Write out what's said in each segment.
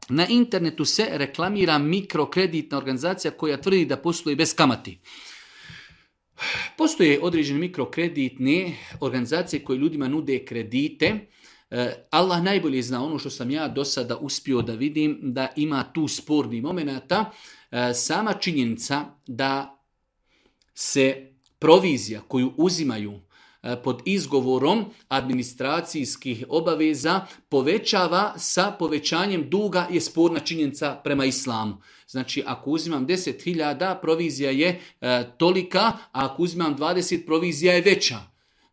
Na internetu se reklamira mikrokreditna organizacija koja tvrdi da posluje bez kamati. Postoje određene mikrokreditne organizacije koje ljudima nude kredite. Allah najbolje zna, ono što sam ja do sada uspio da vidim, da ima tu spornih momenata. Sama činjenica da se provizija koju uzimaju pod izgovorom administracijskih obaveza povećava sa povećanjem duga je sporna činjenica prema islamu. Znači, ako uzimam 10.000, provizija je tolika, a ako uzimam 20, provizija je veća.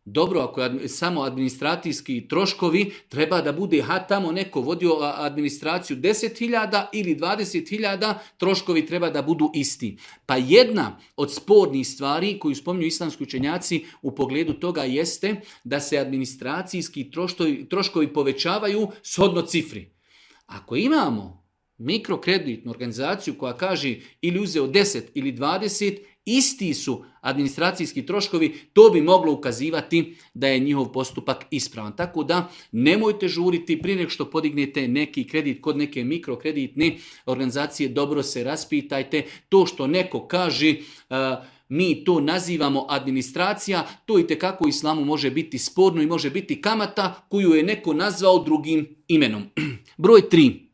Dobro, ako je samo administracijski troškovi, treba da bude tamo neko vodio administraciju 10.000 ili 20.000, troškovi treba da budu isti. Pa jedna od spornih stvari koju spominju islamski učenjaci u pogledu toga jeste da se administracijski troškovi povećavaju shodno cifri. Ako imamo mikrokreditnu organizaciju koja kaže ili uzeo 10 ili 20, isti su administracijski troškovi, to bi moglo ukazivati da je njihov postupak ispravan. Tako da nemojte žuriti prije nego što podignete neki kredit kod neke mikrokreditne organizacije, dobro se raspitajte. To što neko kaže mi to nazivamo administracija, to itekako u islamu može biti sporno i može biti kamata koju je neko nazvao drugim imenom. Broj 3.